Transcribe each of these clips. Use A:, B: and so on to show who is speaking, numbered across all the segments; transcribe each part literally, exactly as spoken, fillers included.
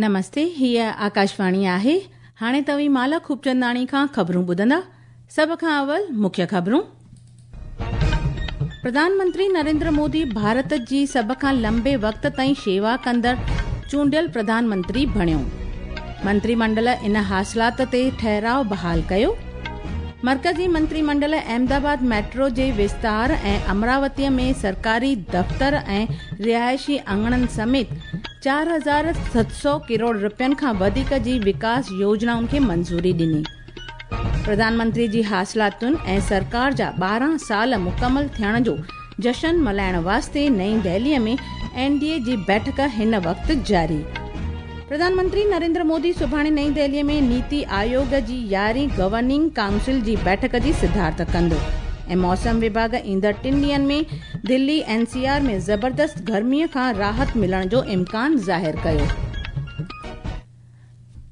A: नमस्ते, हीअ आकाशवाणी आहे। हाणे तव्हीं माला खूबचंदाणी खां ख़बरूं ॿुधंदा। सभ खां अवल मुख्य ख़बरूं। प्रधानमंत्री नरेंद्र मोदी भारत जी सभ खां लंबे वक़्त ताईं शेवा कंदड़ चूंडियल प्रधानमंत्री बणियो। मंत्रीमंडल इन हासिलात ते ठहिराव बहाल कयो। मर्कज़ी मंत्रीमंडल अहमदाबाद मेट्रो जे विस्तार ऐं अमरावतीअ में सरकारी दफ़्तर ऐं रिहाइशी आङणनि समेत चार हज़ार सत सौ करोड़ रुपयनि खां वधीक जी विकास योजनाउनि खे मंज़ूरी ॾिनी। प्रधानमंत्री जी हासिलातुनि ऐं सरकार जा ॿारहं साल मुकमल थियण जो जशन मल्हाइण वास्ते नई दिल्लीअ में एन डी ए जी बैठक हिन वक़्तु जारी। प्रधानमंत्री नरेंद्र मोदी सुभाणे नई दिल्लीअ में नीति आयोग जी यारहीं गवर्निंग काउंसिल जी बैठक जी सिद्धार्थ कंदो। ऐं मौसम विभाग ईंदड़ टिनि ॾींहंनि में दिल्ली एन सी आर में ज़बरदस्त गर्मीअ खां राहत मिलण जो इम्कान ज़ाहिर कयो।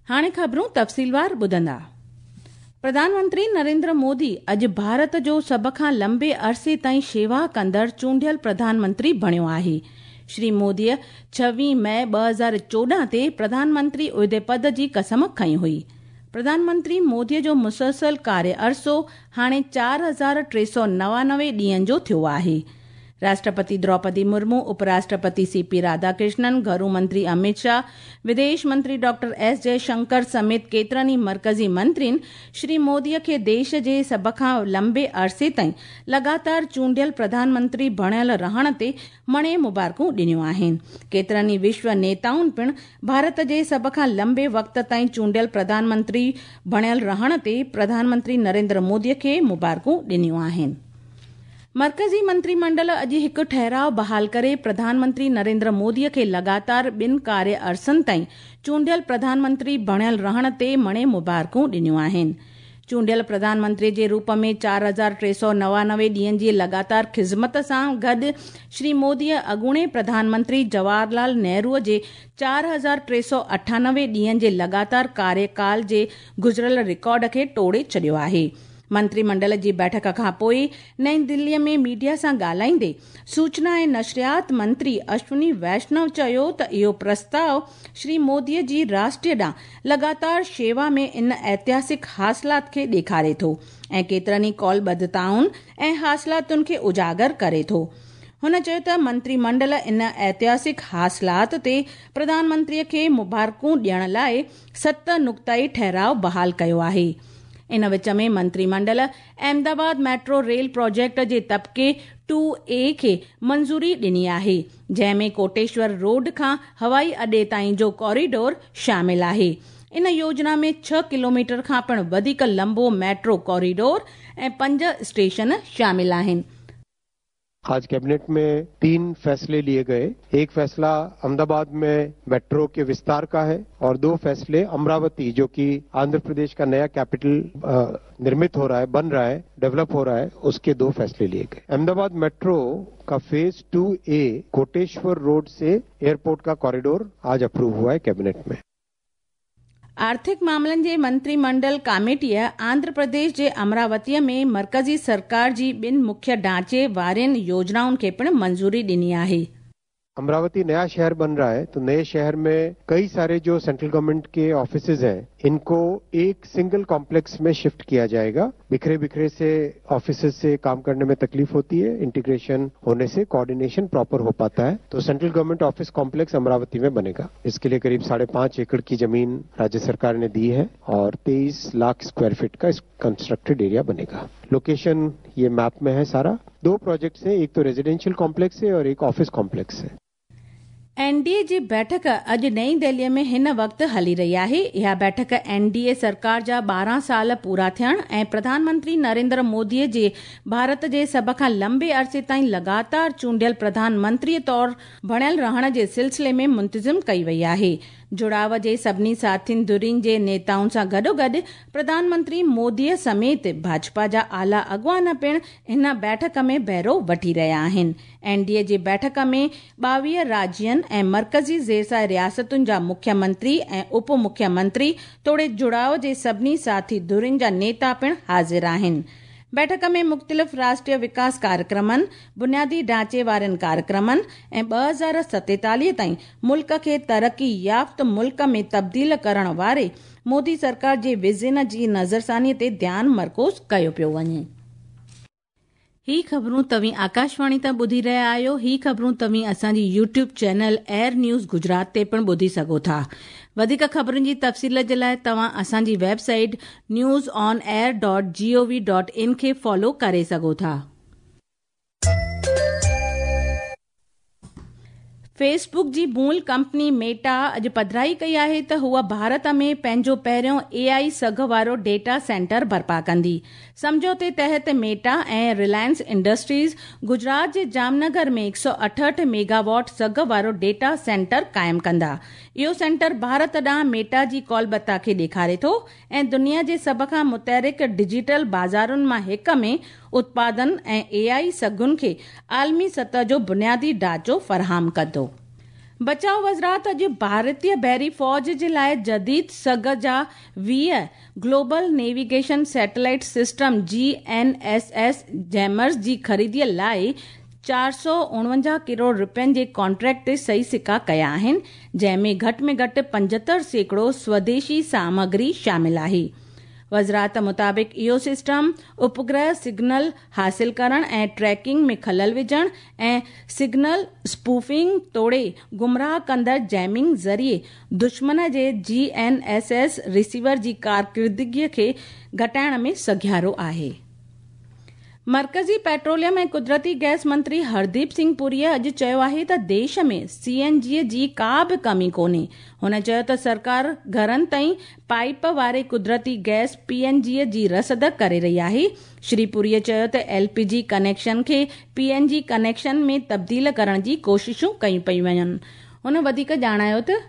A: हाणे ख़बरूं तफ़सीलवार ॿुधंदा। प्रधानमंत्री नरेंद्र मोदी अॼु भारत जो सभ खां लंबे अरसे ताईं शेवा कंदड़ चूंडियल प्रधानमंत्री बणियो आहे। श्री मोदीअ छवीह मई ॿ हज़ार चोॾहं ते प्रधानमंत्री उहिदे पद जी कसम खई हुई। प्रधानमंत्री मोदीअ जो मुसलसल कार्य अरसो हाणे चार हज़ार टे सौ नवानवे ॾींहंनि जो थियो आहे। राष्ट्रपति द्रौपदी मुर्मू, उपराष्ट्रपति सी पी राधाकृष्णन, घरू मंत्री अमित शाह, विदेश मंत्री डॉक्टर एस जयशंकर समेत केतिरनि ई मर्कज़ी मंत्रियुनि श्री मोदीअ खे देश जे सभ खां लंबे अरसे ताईं लगातार चूंडियल प्रधानमंत्री बणियल रहण ते मणे मुबारकूं ॾिनियूं आहिनि। केतिरनि ई विश्व नेताउनि पिणु भारत जे सभ खां लंबे वक़्त ताईं चूंडियल प्रधानमंत्री बणियल रहण ते प्रधानमंत्री नरेंद्र मोदीअ खे मुबारकूं ॾिनियूं आहिनि। मर्कज़ी मंत्रीमंडल अॼु हिकु ठहिराव बहाल करे प्रधानमंत्री नरेंद्र मोदीअ खे लगातार ॿिनि कार्य अरसनि ताईं चूंडियल प्रधानमंत्री बणियल रहण ते मणे मुबारकूं ॾिनियूं आहिनि। चूंडियल प्रधानमंत्री जे रूप में चार हज़ार टे सौ नवानवे ॾींहंनि जी लगातार ख़िज़मत सां गॾु श्री मोदीअ अॻूणे प्रधानमंत्री जवाहरलाल नेहरूअ जे चार हज़ार टे सौ अठानवे ॾींहंनि जे लगातार कार्यकाल जे गुज़िरियल रिकॉर्ड खे टोड़े छॾियो आहे। मंत्रीमंडल जी बैठक खां पोइ नई दिल्लीअ में मीडिया सां ॻाल्हाईंदे सूचना ऐं नशरियात मंत्री अश्विनी वैष्णव चयो त इहो प्रस्ताव श्री मोदीअ जी राष्ट्रीय ॾांहुं लगातार शेवा में इन ऐतिहासिक हासिलात खे ॾेखारे थो ऐं केतिरनि ई कौलबद्धताउनि ऐं हासिलातुनि खे उजागर करे थो। हुन चयो त मंत्रीमंडल इन ऐतिहासिक हासिलात ते प्रधानमंत्रीअ खे मुबारकूं ॾियण लाइ सत नुक्ताई ठहिराव बहाल कयो आहे। इन विच में मंत्रीमंडल अहमदाबाद मेट्रो रेल प्रोजेक्ट जे तबके टू ए खे मंज़ूरी ॾिनी आहे, जंहिंमें कोटेश्वर रोड खां हवाई अॾे ताईं जो कॉरिडोर शामिल आहे। इन योजना में छह किलोमीटर खां पिणु वधीक लंबो मेट्रो कॉरिडोर ऐं पंज स्टेशन शामिल आहिनि।
B: आज कैबिनेट में तीन फैसले लिए गए। एक फैसला अहमदाबाद में मेट्रो के विस्तार का है और दो फैसले अमरावती, जो कि आंध्र प्रदेश का नया कैपिटल निर्मित हो रहा है, बन रहा है, डेवलप हो रहा है, उसके दो फैसले लिए गए। अहमदाबाद मेट्रो का phase two A Koteshwar road से एयरपोर्ट का कॉरिडोर आज अप्रूव हुआ है कैबिनेट में।
A: आर्थिक मामलनि जे मंत्रीमंडल कमेटीअ आंध्र प्रदेश जे अमरावतीअ में मर्कज़ी सरकार जी ॿिनि मुख्य ढांचे वारियुनि योजनाउनि खे पिणु मंज़ूरी ॾिनी आहे।
B: अमरावती नया शहर बन रहा है तो नए शहर में कई सारे जो सेंट्रल गवर्नमेंट के ऑफिसेज हैं, इनको एक सिंगल कॉम्प्लेक्स में शिफ्ट किया जाएगा। बिखरे बिखरे से ऑफिसेज से काम करने में तकलीफ होती है, इंटीग्रेशन होने से कोऑर्डिनेशन प्रॉपर हो पाता है। तो central government office complex Amravati में बनेगा। इसके लिए करीब साढ़े पांच एकड़ की जमीन राज्य सरकार ने दी है और तेईस लाख स्क्वायर फीट का कंस्ट्रक्टेड एरिया बनेगा। लोकेशन ये मैप में है सारा। दो प्रोजेक्ट्स हैं, एक तो रेजिडेंशियल कॉम्प्लेक्स है और एक ऑफिस कॉम्प्लेक्स है।
A: एन डी ए जी बैठक अॼु नई दिल्लीअ में हिन वक़्तु हली रही आहे। इहा बैठक एन डी ए सरकार जा ॿारहं साल पूरा थियण ऐं प्रधानमंत्री नरेंद्र मोदीअ जे भारत जे सभ खां लंबे अरसे ताईं लगातार चूंडियल प्रधानमंत्री तौर बणियल रहण जे सिलसिले में मुंतज़िम कई वई आहे। जुड़ाव जे सभिनी साथियुनि धुरियुनि जे नेताउनि सां गॾोगॾु प्रधानमंत्री मोदीअ समेत भाजपा जा आला अॻुवान पिणु हिन बैठक में बहिरो वठी रहिया आहिनि। एन डी ए जी बैठक में ॿावीह राज्यनि ऐं मर्कज़ी ज़ेरसाए रियासतुनि जा मुख्यमंत्री ऐं उप मुख्यमंत्री तोड़े जुड़ाव जे सभिनी साथी धुरियुनि जा नेता पिणु हाज़िर आहिनि। बैठक में मुख़्तलिफ़ राष्ट्रीय विकास कार्यक्रमनि, बुनियादी ढांचे वारनि कार्यक्रमनि ऐं ॿ हज़ार सतेतालीह ताईं मुल्क खे तरक़ी याफ़्त मुल्क में तब्दील करण वारे मोदी सरकार जे विज़न जी नज़रसानी ते ध्यानु मरकूज़ कयो पियो वञे। ही ख़बरूं तव्हीं आकाशवाणी तां ॿुधी रहिया आहियो। ही ख़बरूं तव्हीं असांजी YouTube channel Air News Gujarat ते पिणु ॿुधी सघो था। वधीक ख़बरुनि जी तफ़सील जे लाइ तव्हां असांजी website news on air dot G O V dot in खे फॉलो करे सघो था। फेसबुक जी मूल कंपनी मेटा अॼु पधराई कई आहे त हूअ भारत में पंहिंजो पहिरियों ए आई सघ वारो डेटा सेंटर बर्पा कंदी। सम्झौते तहत मेटा ऐं रिलायंस इंडस्ट्रीज गुजरात जे जामनगर में हिकु सौ अठहठि मेगावाट सघ वारो डेटा सेंटर क़ाइमु कंदा। इहो सेंटर भारत ॾांहुं मेटा जी कौलबता खे ॾेखारे थो ऐं दुनिया जे सभ खां मुतहरिक डिजिटल बाज़ारुनि मां हिकु में उत्पादन ऐं ए आई सघुनि खे आलमी सतह जो बुनियादी ढांचो फराहम कंदो। बचाव वज़ारत अॼु भारतीय बहरी फ़ौज जे लाइ जदीद सघ जा वीह global navigation satellite system G N S S jammers जी ख़रीदीअ लाइ चारि सौ उणवंजाह करोड़ रुपयनि जे कॉन्ट्रैक्ट ते सही सिक्का कया आहिनि, जंहिं में घटि में घटि पंजहतरि सैकड़ो स्वदेशी सामग्री शामिल आहे। वज़ारत मुताबिक़ इहो सिस्टम उपग्रह सिग्नल हासिल करण ऐं ट्रैकिंग में ख़लल विझण ऐं सिग्नल स्पूफिंग तोड़े गुमराह कंदड़ जैमिंग ज़रिए दुश्मन जे G N S S receiver जी कारकर्दगीअ खे घटाइण में सघियारो आहे। मर्कज़ी पेट्रोलियम ऐं कुदरती गैस मंत्री हरदीप सिंह पुरीअ अॼु चयो आहे त देश में सी एन जी जी का बि कमी कोन्हे। हुन चयो त सरकार घरनि ताईं पाइप वारे कुदरती गैस पी एन जी जी रसद करे रही आहे। श्री पुरीअ चयो त एल पी जी कनेक्शन खे पी एन जी कनेक्शन में तब्दील करण जी कोशिशूं कयूं पयूं वञनि। हुन वधीक ॼाणायो त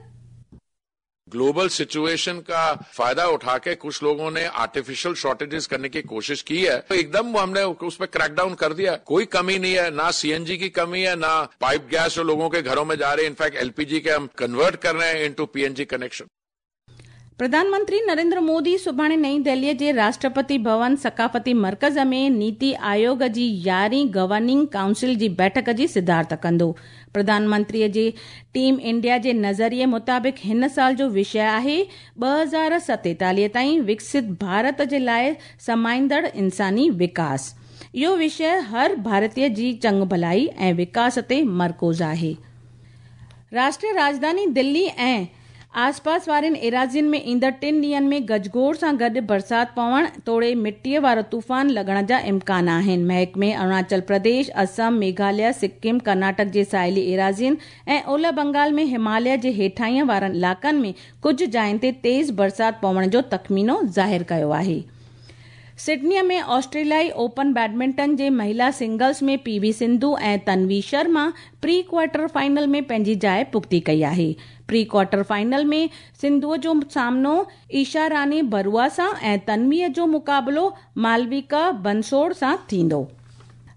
C: ग्लोबल सिचुएशन का फायदा उठा के कुछ लोगों ने आर्टिफिशियल शॉर्टेजेस करने की कोशिश की है, तो एकदम हमने उस पर क्रैकडाउन कर दिया। कोई कमी नहीं है, ना सीएनजी की कमी है, ना पाइप गैस जो लोगों के घरों में जा रही है। इनफैक्ट एलपीजी के हम कन्वर्ट कर रहे हैं इनटू पीएनजी कनेक्शन।
A: प्रधानमंत्री नरेंद्र मोदी सुभाणे नई दिल्लीअ जे राष्ट्रपति भवन सकाफ़ती मर्कज़ में नीति आयोग जी यारहीं गवर्निंग काउंसिल जी बैठक जी सिद्धार्थ कंदो। प्रधानमंत्रीअ जे टीम इंडिया जे नज़रिए मुताबिक़ हिन साल जो विषय आहे ॿ हज़ार सतेतालीह ताईं विकसित भारत जे लाइ समाईंदड़ इंसानी विकास। इहो विषय हर भारतीय जी चङु भलाई ऐं विकास ते मरकूज़ आहे। राष्ट्रीय राजधानी दिल्ली ऐं आसपास वारनि एराज़ियुनि में ईंदड़ टिनि ॾींहंनि में गजगोड़ सां गॾु बरसाति पवण तोड़े मिटीअ वारो तूफ़ान लॻण जा इम्कान आहिनि। महकमे अरुणाचल प्रदेश, असम, मेघालय, सिक्किम, कर्नाटक जे साहिली एराज़ियुनि ऐं ओलह बंगाल में हिमालय जे हेठाईं वारनि इलाइक़नि में कुझु जायुनि ते तेज़ बरसाति पवण जो तख़मीनो ज़ाहिर कयो आहे। सिडनीअ में ऑस्ट्रेलियाई ओपन बैडमिंटन जे महिला सिंगल्स में पी वी सिंधु ऐं Tanvi Sharma pre quarter final में पंहिंजी जाइ पुख़्ती कई आहे। प्री क्वार्टर फाइनल में सिंधुअ जो सामनो ईशा रानी बरुआ सां ऐं तन्वीअ जो मुक़ाबिलो मालविका बंसोड़ सां थींदो।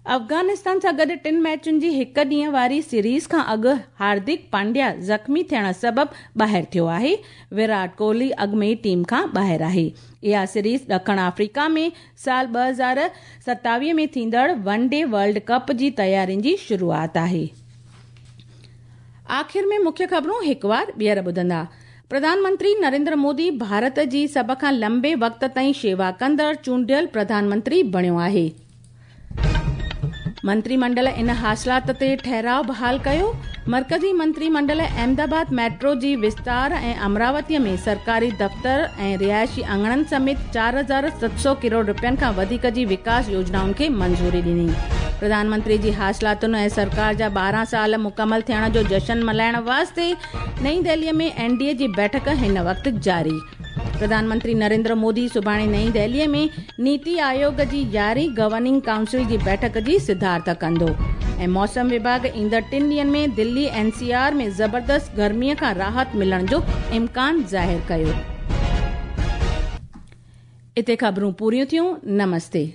A: अफ़गानिस्तान सां गॾु टिनि मैचुनि जी हिकु ॾींहं वारी सीरीज़ खां अॻु हार्दिक पांड्या ज़ख़्मी थियण सबबु ॿाहिरि थियो आहे। विराट कोहली अॻु में ई टीम खां ॿाहिरि आहे। इहा सीरीज़ ॾखण अफ्रीका में साल ॿ हज़ार सतावीह में थींदड़ वन डे वर्ल्ड कप जी तयारियुनि जी शुरूआत आहे। आख़िर में मुख्य ख़बरूं हिकु वार ॿीहर ॿुधंदा। प्रधानमंत्री नरेंद्र मोदी भारत जी सभ खां लंबे वक़्त ताईं शेवा कंदड़ चूंडियल प्रधानमंत्री बणियो आहे। मंत्रीमंडल इन हासिलात ते ठहिराव बहाल कयो। मर्कज़ी मंत्रीमंडल अहमदाबाद मेट्रो जी विस्तार ऐं अमरावतीअ में सरकारी दफ़्तर ऐं रिहायशी आंगणनि समेत चारि हज़ार सत सौ करोड़ रुपयनि खां वधीक जी विकास योजनाउनि खे मंज़ूरी ॾिनी। प्रधानमंत्री जी हासिलातुनि ऐं सरकार जा ॿारहं साल मुकमल थियण जो जशन मल्हाइण वास्ते नई दिल्लीअ में एन डी ए जी बैठक हिन वक़्तु जारी। प्रधानमंत्री नरेंद्र मोदी सुभाणे नई दिल्लीअ में नीति आयोग जी यारहीं गवर्निंग काउंसिल जी बैठक जी सिद्धार्थ कंदो। ऐं मौसम विभाग ईंदड़ टिनि ॾींहंनि में दिल्ली एन सी आर में ज़बरदस्त गर्मीअ खां राहत मिलण जो इम्कान ज़ाहिर कयो। हिते ख़बरूं पूरियूं थियूं। नमस्ते।